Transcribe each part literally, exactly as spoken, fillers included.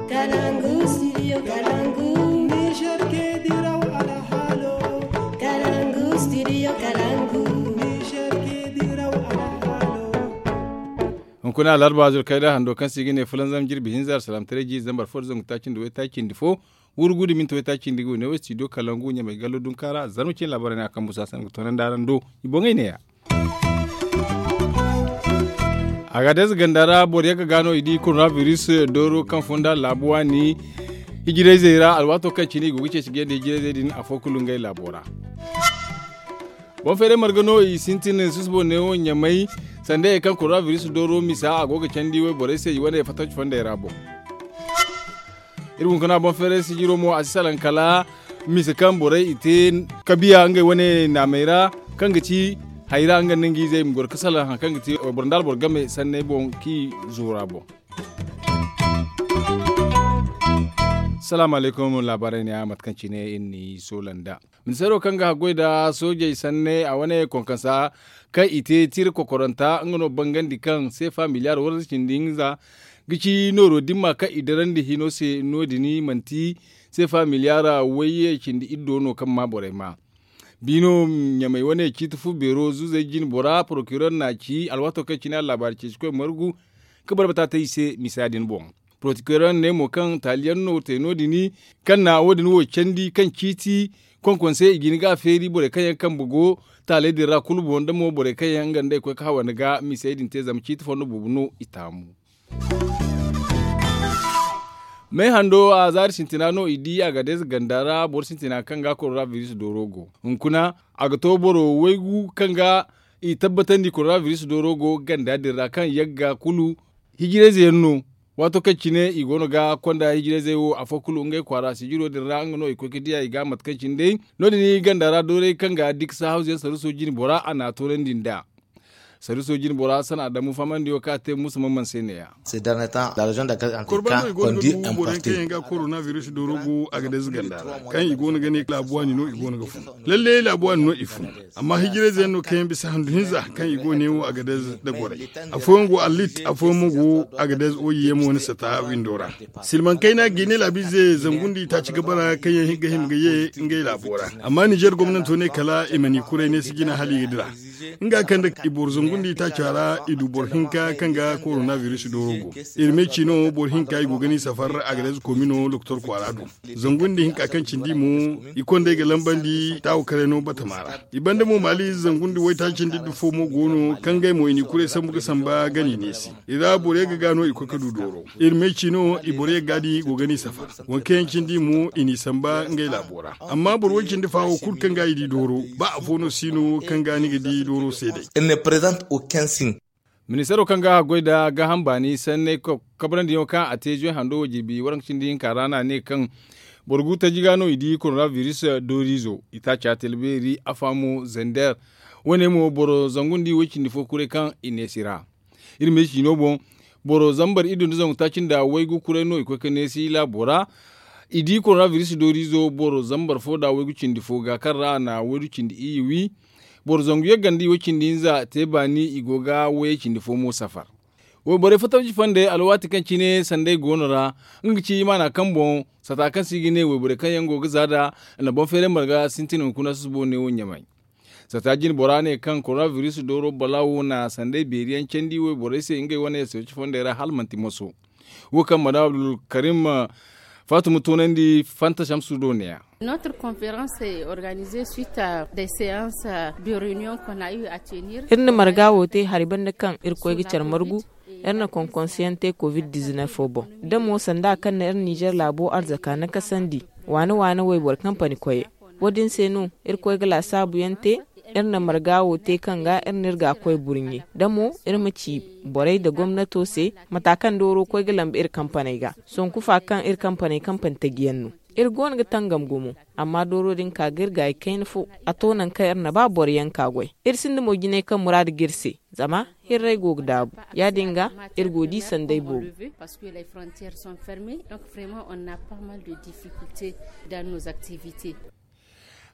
Kalangu studio kalangu. Niger ke diraw alhalo. Kalangu studio kalangu. Niger ke diraw alhalo. Hunkuna alarba zurkayda hando kaŋ se i ga ne fulanzam jirbi hinza alsalam tareji zambar fo da zangu taaci nda waytaaci nda fo. Wurgu da minti waytaaci nda ga wane wo studio kalangu ɲamay gallo dunka ra zarma cine laabaray no a kaŋ busa sanda ga toonandi araŋ do. I boŋey neeya. Agadez ganda ra boro yagga ga no i di coronavirus dooro kaŋ fonda laabu waani hijirayzey ra alwaato kaŋ cine i go ga ceeci ga yanda hijirayzey din afo kulu ngey laabo ra. Boŋ feeray marga no i sintin susubo neewo ɲamay sanda ye kaŋ coronavirus dooro misa a go ga candi wayborey se i wane fattaci fondey ra boŋ. Iri hunkuna boŋ feeray sijiro mo a si salaŋ kala misa kaŋ borey i te kabiya ngey wane naamey ra kaŋ ga ci hayra nga nda nga izey i ma goro ga salaŋ hari kaŋ ga ti wayboro nda alboro game sanney boŋ kaŋ i zoora boŋ. Salaamu alaykum laabaarey ne a mate kaŋ cine iri n'i soola nda ministeero kaŋ ga haggoy nda soojey sanney a wane konkonsa kaŋ i te tira kokoranta nga no bangandi kaŋ seefa miliyaar waranza cindi hinza ga ci nooro dimma kaŋ i darandi hino se no- din manti seefa miliyaar wayye cindi iddo no kaŋ ma borey ma. Biino ɲamay wane ciiti fu beero zuzey jine bora porokirer n'a ci alwaato kaŋ cine a laabaari ceecikoy margu ka barbata te i se misa din boŋ. Porokirer ne mo kaŋ taaliyaŋ no te no- din kaŋ na wo- din wo candi kaŋ ciiti konkonsey i ga hin ga a feeri borey kaŋ yaŋ kambe go taaley din ra kulu boŋ da mo borey kaŋ yaŋ nga nda i koy ga hawa ni ga misey din te zama ciiti fondo boobo no i taamu. Me hando a zaari sintina no i di a ga deeza ganda ra boro sintina kaŋ ga koronabiris dooro go hunkuna a ga to boro waygu kaŋ ga i tabbatandi koronabiris dooro go ganda din ra kaŋ yagga kulu hijirayze yaŋ no. Waato kaŋ cine i go no ga konda hijirayzey wo afo kulu ngey kwaara sijiro din ra nga no i koy ga diya i ga mate kaŋ cine day no- din ganda ra dooray kaŋ ga diksa hawzu yaŋ saruso jine bora a n'a toonandi nd'a. Saruso jine bora san adamu fahamandi wo kaŋ a te musa mamman se ne- ya. Korbando i go no ga du borey kaŋ yaŋ ga koronabiris dooro go a ga deeza ganda ra kaŋ i go no ga ne laabu waani no i go no ga fun. Lalle laabu waani no i fun. Amma hijirayze yaŋ no kaŋ yaŋ bisa handu hinza kaŋ i go ne wo a ga deeza da goray. Afooyaŋ go allit afooyaŋ mo go a ga deeza oyi yaŋ mo ni sata windo ra. Silmaŋ kayna ga i ne laabiize zangu nda i taaci ga bara kaŋ yaŋ ga hima ga ye ngey laabo ra. Amma ninzeer gomnanto ne kala i ma ni kuray ne si jina hala i ga dira. Nga kaŋ da i boro zangu nda i taaca ra i du boro hinka kaŋ ga koronabiris dooro go. Iri me ci no boro hinka i go ga ni safar a ga deeza koomino doktor kwaara do. Zangu nda hinka kaŋ cindi mo i kondey ga lambandi taawo karay no batama ra. I banda mo maali zangu nda waytaaci nda iddu fo mo go no kaŋ ngey mo i ni kuray sambu ga samba gani neesi. I ra borey ga ga no i koy ga du dooro. Iri me ci no i borey ga di go ga ni safar. Waŋ kaŋ yaŋ cindi mo i n'i samba ngey laabo ra. Amma boro way cindi fa wo kulu kaŋ ga i di dooro ba afo no si no kaŋ ga ni ga di dooro se day. Ministeero kaŋ ga a goy nda gaaham baani sanney kabrandi yaŋo kaŋ a te zuwe hando wo jirbi waranka cindi hinka ra no a ne kaŋ boro gu taji ga no i di koronabiris dooriizo i taaca talbeeri afa mo zander. Wo- ne mo boro zangu nda i way cindi fo kuray kaŋ i neesi ra. Iri ma ay ciino boŋ boro zambar iddu nda zangu taaci nda waygu kuray no i koy ga neesi laabo ra. I di koronabiris dooriizo boro zambar fo nda waygu cindi fo ga kaŋ ra a na waygu cindi iyye wi. Boro zangu yagga nda i way cindi hinza te baani i go ga wayey cindi fo mo safar. Wayborey fattaci fondey alwaati kaŋ cine sanday go no ra nga ga ci imaana kaŋ boŋ sata kaŋ se i ga ne wayborey kaŋ yaŋ go ga za nd'a. Nda boŋ feeray marga sintin hunkuna susubo ne wo ɲamay. Sata jine bora ne kaŋ koronabiris dooro balaawo na sanday beeri yaŋ candi wayborey se ngey wane yasirci fondey ra hala manti moso. Wo kaŋ madam abdulkarim faatuma toonandi fanta samsu do ne- ya. Notre conférence est organisée suite à des séances de réunion qu'on a eu à tenir. Iri na marga wo te hari banda kaŋ iri koy ga care margu. Iri na konkonsiyaŋ te kovid dizinef fo boŋ da mo sanda kaŋ na iri nizer laabo arzaka nakasandi waane waane wayboro kampani koyey. Wo- din se no iri koy ga laasaabu yaŋ te. Iri na marga wo te kaŋ ga iri na iri ga koy burɲe da mo iri ma ci borey nda gomnato se mata kaŋ dooro koy ga lambe iri kampaney ga sonku fa kaŋ iri kampaney kampani taji yaŋ no. Iri go no ga tangam gumo amma dooro din ka ga iri gaayi kayna fo. A to nangu kaŋ iri na ba boro yaŋ ka goy iri sinda mo jinay kaŋ muraadu ga iri se. Zama hirray go ga daabu ya- din ga iri go ga di sanday boobo.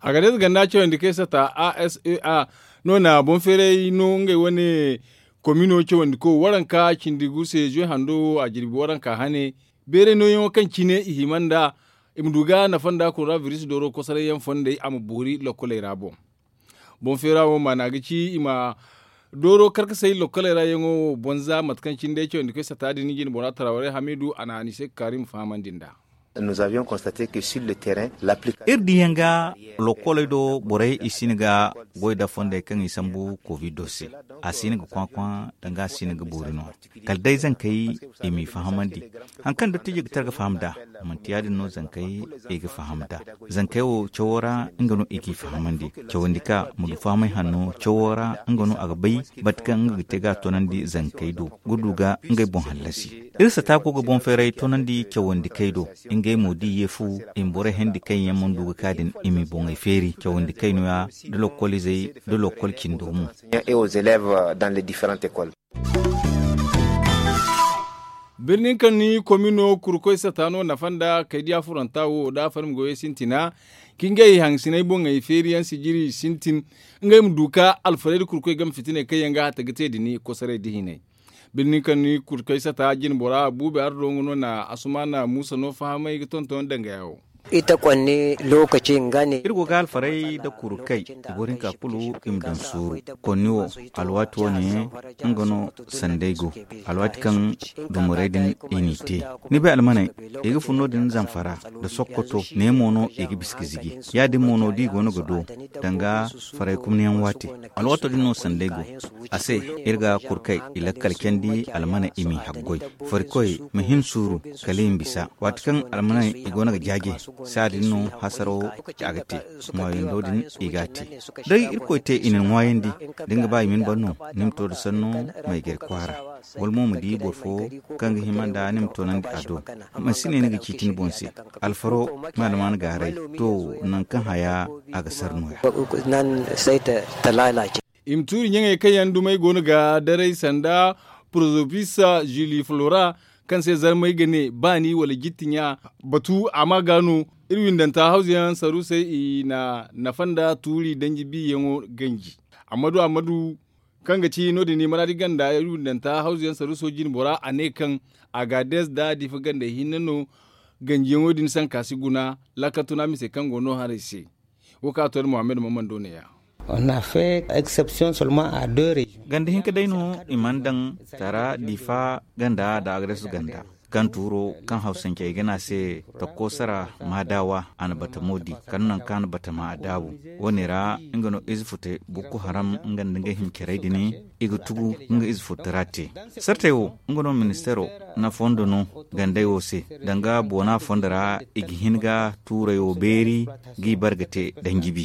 Agades ganda cawandi kaŋ ay sata a s e a no na boŋ feeray no ngey wane komino cawandi ko waranka cindi gu se zuwe hando wo a jirbi waranka hane. Beeray nooyaŋo kaŋ cine i hima nda i ma du ga nafa nda korona biris dooro kosoray yaŋ fondey a ma boori lokkoley ra boŋ. Boŋ feera wo maana ga ci i ma dooro karkasay lokkoley ra yaŋo wo boŋ za mate kaŋ cine day cawandi koy sata din jine bora tarawaray hamidu a na hanise ga kaari ma fahamandi nd'a. Iri diyaŋ ga lokkoley do borey i si hin ga goy nda fondey kaŋ i sambu kovido se. A si hin ga kwakwa danga a si hin ga boori no. Kala day zankey i m'i fahamandi hari kaŋ dottijo ga tara ga faham nd'a. Manti ya- din no zankey i ga faham nd'a. Zankey wo cawo ra nga no i g'i fahamandi. Cawandi ka ma du fahamay hanno cawo ra nga no a ga bay mate kaŋ nga ga te ga a toonandi zankey do ga du ga ngey boŋ hallasi. Iri sata go ga boŋ feeray toonandi cawandi kay do. Ngey mo da i ye fu i ma borey hendi kaŋ yaŋ mana du ga ka din i m'i boŋey feeri cawandi kay no- ya da lokol izey da lokol cindo mo. Birnin kaŋ ni komino kurkoy sata no nafa nda kay diya furanta wo da farmi goyey sintina ka ngey hangasiney boŋey feeri yaŋ sijiri sintin. Ngey ma du ka alfarey da kurkoy game fitiney kaŋ yaŋ ga hata ga te dini kosoray da hinay. Birni kaŋ ni kurkay sata jine bora buubi ardo nga no na asumana muusa no fahamay ga tonton dangaya wo. Iri go ga alfaray nda kurkay i boro hinka kulu i ma daŋ suuru. Konni wo alwaati wo- ne nga no sanday go. Alwaati kaŋ dumarey din i n'i te ni bay almaney i ga fun no- din zamfara nda sokkoto ne mo no i ga bisa ga ziji. Ya- din mo no da i go no ga do danga faray kumniyaŋ waati. Alwaato din no sanday go a se. Iri ga kurkay i lakkal candi almana i m'i haggoy farikoy ma hin suuru kala i ma bisa. Waati kaŋ almaney i go no ga jaaje saadin no hasaro a ga te. Ŋwaayando din i ga a te day irkoy te i na ni ŋwaayandi da ni ga ba i ma ni ban no ni ma to nda sanno ma i gari kwaara wala mo ma di boro fo kaŋ ga hima nda ni ma toonandi a do. Mansi ne ni ga ciiti ni boŋ se alfaro ma alman gaaray to nangu kaŋ haya a ga sara nooya. I ma tuuri ɲaŋey kaŋ yaŋ dumey go no ga daray sanda porozopis zili flora kaŋ se zarmey ga ne baani wala jitti ɲa batu a ma ga no. Iri windanta hawzuyaŋ saruusey i na nafa nda tuuri danji biyaŋo ganji. Ammadu ammadu kaŋ ga ci no- din i maraadi ganda iri windanta hawzuyaŋ saruuso jine bora a ne kaŋ agaades nda difa gandey hinne no. Ganjiyaŋo din sanka si guna laakal tuna mise kaŋ go no haray se. Wo kaŋ a to da muhammad mammando ne- ya. Ganda hinka day no i mana daŋ tara difa ganda nda agresu ganda kaŋ tuuro kaŋ hawsancey ga ne a se takko sara maadawa a na batamo di kala nangu kaŋ a na batama a daabu. Wo- ne ra nga no ize fute bukku haram nga nda nga hima carey din i ga tugu nga ize fute ra te. Sartey wo nga no ministeero na fondo no gandey wo se danga boona fondo ra i ga hin ga tuurey wo beeri g'i bare ga te danjibi.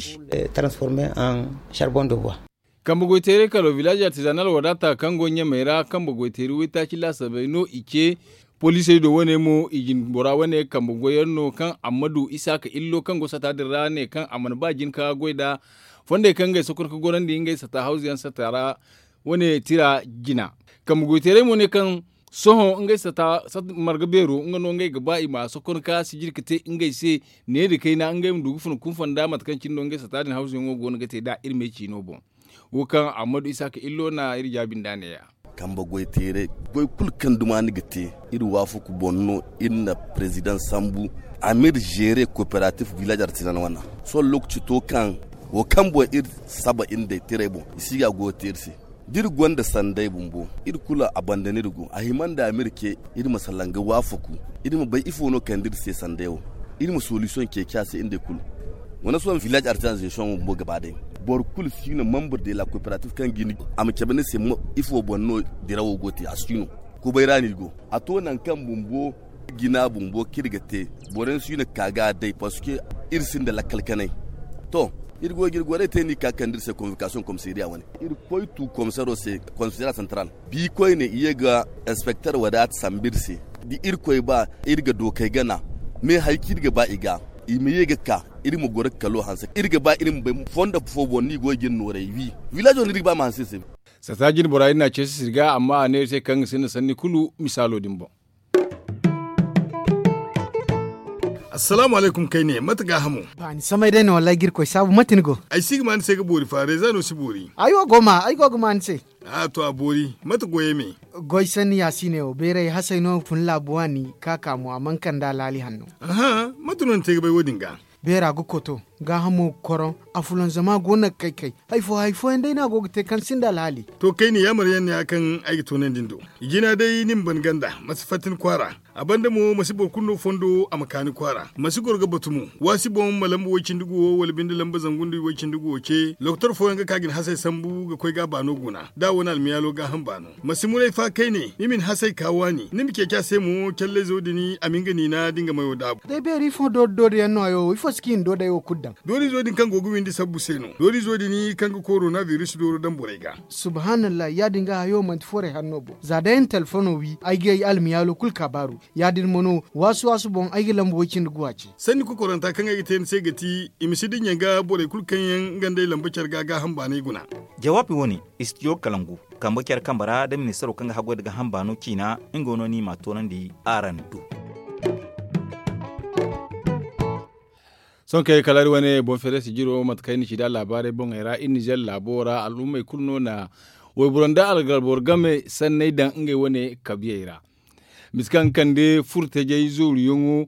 Kambe goy teeray kalo village artisanal wadaata kaŋ go ɲamey ra kambe goy teeri waytaaci laasabey no i ce. Poliisey do wane mo i jinbora wane kambe goy yaŋ no kaŋ amma du isa ka illo kaŋ go sata din ra ne kaŋ a mana ba jin ka goy nda fondey kaŋ ngey sokor ka gorandi ngey sata hawzu yaŋ sata ra. Wane tira jina kambe goy teeray mo ne kaŋ sohõ ngey sata marga beero nga no ngey ga ba i ma sokon ka sijiri ka te ngey se. Ne nda kayna ngey ma du ga fun kunfo nda mate kaŋ cine no ngey sata din hawzu yaŋo go no ga te nd'a iri me ciino boŋ. Wo kaŋ ammadu isaaka illo na iri jaabi nd'a ne- ya. Kambe goy teeray goy kulu kaŋ duma ni ga te iri waafaku boŋ no. Iri na perezidaŋ sambu a ma iri zeere kooperatif village artisan wana sohõ lookaci to kaŋ wo kaŋ boŋ iri saba iri nd'ey teeray boŋ i si ga a goyo te iri se. Da iri gonda sanday bumbo iri kulu a banda no iri go a hima nda a ma iri ce iri ma salaŋ ga waafaku iri ma bay ifo no kande iri se sanday wo. Iri ma solisiyoŋ ceeci a se iri nd'ey kulu. Wane sohõ village artisan zeesiyoŋ wo bumbo gaba day boro kulu si no membre de la kooperatif kaŋ ga ni a ma cabe ni se ifo boŋ no dirawo go te a si no. Kubay ra no iri go a to nangu kaŋ bumbo jina bumbo kaŋ iri ga te boro yaŋ si no ga ka ga a day parceque iri sinda lakkal kanay. To iri go ga iri goray te no i ga ka ga kande iri se convocation komisariya wane iri koy tu komisaro se komisariya central. Bi koyne i ye ga inspecteur wadaata sambu iri se da irkoy ba iri ga dookey gana. Me hari kaŋ iri ga ba i ga i ma ye ga ka iri ma goro ga kalo hanse iri ga ba iri ma bay fondo fo boŋ no i go ga iri nooray wi. Village wo no iri ga ba ma hanse iri se. Sata jine bora iri n'a ceeci sirga amma a ne iri se kaŋ ga sinda sanni kulu misaalo din boŋ. Assalaamu alaykum kayne, mate gaahamo? Ba ni samay day no wallaahi ga irkoy saabu, mate ni go? Ay si ga ma ni se ga boori fa reeza no si boori. Ay wo go ma ay go ga ma ni se. A to a boori, mate goyey me? Goy sanni yaasiine wo beeray hasay no fun laabu waani, ka ka mo a mana kande alhaali hanno. Aha, mate no ni te ga bay wo- din ga? Beera ga koto, gaahamo ga koroŋ, afulanzama go no ga kay kay. Hari fo hari fooyaŋ day no a go ga te kaŋ sinda alhaali. To kayne yaamar yaŋ no ya kaŋ ay ga toonandi ni do. I jina day ni ma ban ganda, ma si fatta ni kwaara. A banda mo ma si boro kulu no fondo a ma ka ni kwaara, ma si goro ga batu mo. Waasi boŋ ma lamba way-cindi guwo wala binde lamba zangu nda way-cindi guwo ce, lokotor fooyaŋ ga ka ga ni hasay sambu ga koy ga a baano guna, da a wane almiyaalo gaaham baano. Ma si muray fa kayne, ni ma ni hasay ka waani, ni ma ceeci a se mo, callayzo din a ma nga niina da nga mayo daabu. Day beeri ifo doori doori yaŋ no hayo wo ifo si ka i na doodey wo kulu daŋ? Doorizo din kaŋ go ga windi sabbu se no. Doorizo din kaŋ ga korona biris dooro daŋ borey ga. Subhaanallah, ya- din ga hayo manti forey hanno bo za day ay na telefono wi ay ga ay almiyaalo kulu kaabaaru. Ya- din mo no, waasu waasu boŋ ay ga lamba way-cindi guwa ce. Sanni kokoranta kaŋ ay ga te ni se ga ti, i ma si dinya ga borey kulu kaŋ yaŋ nga nd'ey lamba care ga gaaham baanay guna. Jawaabi wo- ne, istidiyo kalangu, kambe care kambe ra da ministaro kaŋ ga haggoy nda gaaham baano ciina, nga no no i m'a toonandi araŋ do. Sohõ kay kala iri wane boŋ feerasi jiro mate kaŋ iri na ci nd'a laabaarey boŋey ra iri nizer laabo ra al'ummey kulu no na wayboro nda algalboro game sanney daŋ ngey wane kabiyey ra. Misa kaŋ ga kande furtajey zooruyaŋo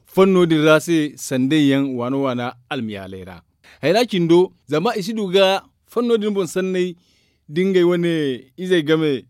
fanno din ra se sandayyaŋ waana waana almiyaaley ra. Hayra cindo zama i si du ga fanno din boŋ sanney da ngey wane izey game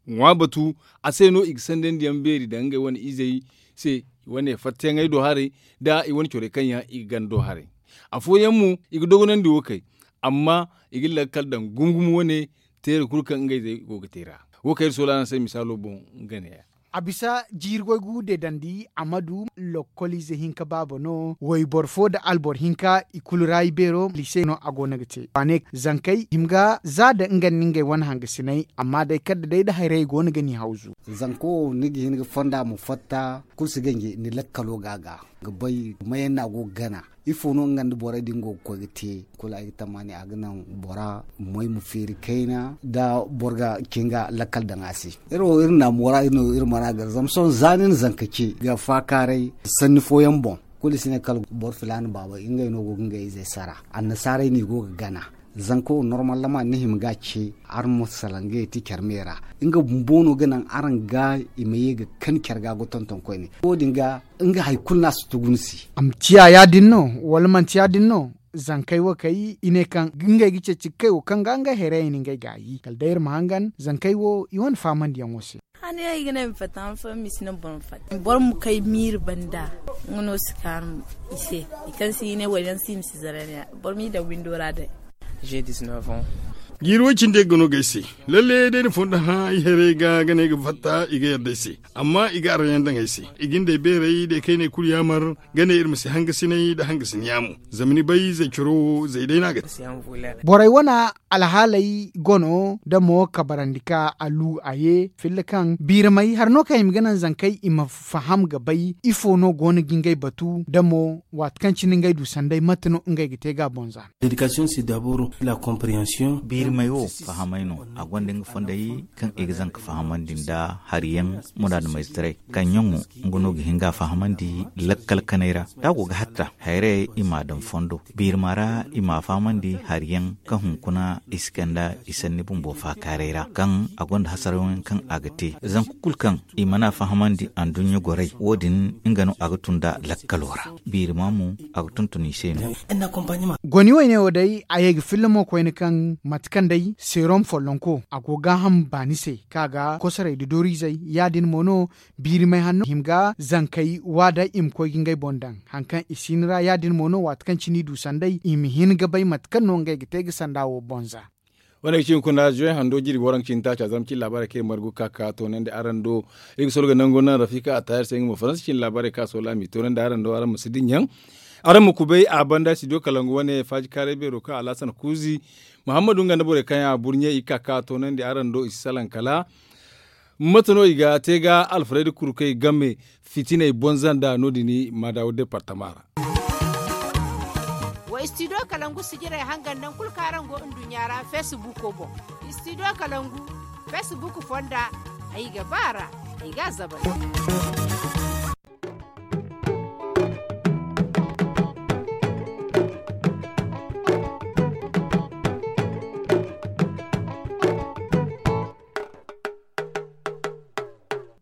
ŋwa batu. A se no i ga sandandi yaŋ beeri daŋ ngey wane izey se, i wane fattayaŋey do haray, nda i wane corey kaŋ yaŋ i ga gana do haray. Afooyaŋ mo i ga dogonandi wo kay, amma i ga lakkal daŋ gumo gumo wane teera kulu kaŋ ngey zey go ga te ra. Wo kaŋ iri soola araŋ se misaalo boŋ nga ne- ya. A bisa jiiri goy gu deedandi a ma du lokkoliize hinka baaba no wayboro fo nda alboro hinka i kulu ra ibeero liise no a go no ga te waane zankey hima ga za nda nga nda ngey wane hangasiney. Amma day kala da day nda hayrayey go no ga ni hawzu. Zanko wo ni ga hin ga fonda ma fatta kulu si ganji ni lakkalo ga a ga ga bay mayaŋ no a go ga gana. Ifo no nga nda borey din go ga koy ga te? Kulu ay ga tammaani a ga naŋ bora moy ma feeri kayna da boro ga cin ga lakkal daŋ a se. Iri wo iri na moora iri no iri mana gar zama sohõ za ni na zanka ce ga faakaaray sanni fooyaŋ boŋ. Kulu i si ne kala boro filaana baaba ngey no go ga ngey izey sara. Annasaarey no i go ga gana. Zanka wo normal lama ni hima ga ce araŋ ma salaŋ ga yeti care me ra. Nga bumbo no ga naŋ araŋ ga i ma ye ga kan care ga ga tonton koyne wo- din ga nga hari kulu no a si tugu ni se. A ma ciya ya- din no wala manti ya- din no? Zankey wo kay i ne kaŋ ngey ga ceeci ga kay wo kaŋ ga ngey hayrayey no ngey ga a yi kala day iri ma hangan zankey wo i wane faamandiyaŋo se. Hane ay ga ne ma fatta han fooyaŋ ma si naŋ boro ma fatta boro ma kay miiri banda. Nga no si kaanu i se i kaŋ si i ne wala yaŋ si i ma si zara ne ya boro m'i daŋ windo ra day. J'ai dix-neuf ans. Jiiri way cindi ga no ga ay se. Lalle day ni fondo hã ay hayrey ga ga ne ay ga fatta i ga yadda ay se. Amma i ga araŋ yaŋ daŋ ay se i ga ni day beeray day kayney kulu yaamar ga ne iri ma si hangasinay nda hangasin yaamo. Zama ni bay zay coro wo zay day no a ga te. Borey wane alhaaley go no da mo kabarandi ka a lu a ye filla kaŋ biiramay hari no kaŋ i ma ga naŋ zankey i ma faham ga bay ifo no go no ga ngey batu da mo waati kaŋ cine ngey du sanday mate no ngey ga te ga a boŋ za. Biirimay wo fahamay no. A gonda nga fondey kaŋ i ga zanka fahamandi nda hari yaŋ. Muraadu mayzetaray kaŋ ɲaŋo nga no ga hin ga a fahamandi lakkal kanay ra da a go ga hatta hayray i m'a daŋ fondo. Biirima ra i m'a fahamandi hari yaŋ kaŋ hunkuna i si kande i sanni bumbo faakaaray ra kaŋ a gonda hasarayaŋ kaŋ a ga te zanka kulu kaŋ i mana fahamandi anduɲɲa goray wo- din nga no a ga tun nd'a lakkalo ra. Biirima mo a ga tuntun i se no. Goni wayne wo day a ye ga filla mo koyne kaŋ mate kaŋ day seerom follonko a go gaaham baani se kaŋ a ga kosoray nda dooriizey ya- din mo no. Biirimay hanno hima ga zankey wa da i ma koy ga ngey boŋ daŋ hari kaŋ i si ni ra ya- din mo no waati kaŋ cine i du sanday i ma hin ga bay mate kaŋ no ngey ga te ga sanda wo boŋ za. Wane ga ci hunkuna zuwey hando jirbi waranka cindi taaca zarma cine laabaarey kaŋ iri margu ga ka ga toonandi araŋ do. Iri ga soro ga nangu naŋ rafika a taayar se nga mo faransa cine laabaarey kaŋ a soola a m'i toonandi araŋ do araŋ ma si dinya. Araŋ ma kubay a banda studio kalangu wane faaji kaaray beero kaŋ alhasan kuuzi muhammadu nga nda borey kaŋ yaŋ a burɲe i ga ka ga toonandi araŋ do i si salaŋ kala. Mate no i ga te ga alfarayda kurkey game fitiney bonza nda no- din maadawo departama ra. Wa studio kalangu sijirey hangan nangu kulu kaŋ araŋ go nduɲɲa ra feesibuuko boŋ. Studio kalangu feesibuuku fonda ay ga ba a ra. Ay ga a zabari.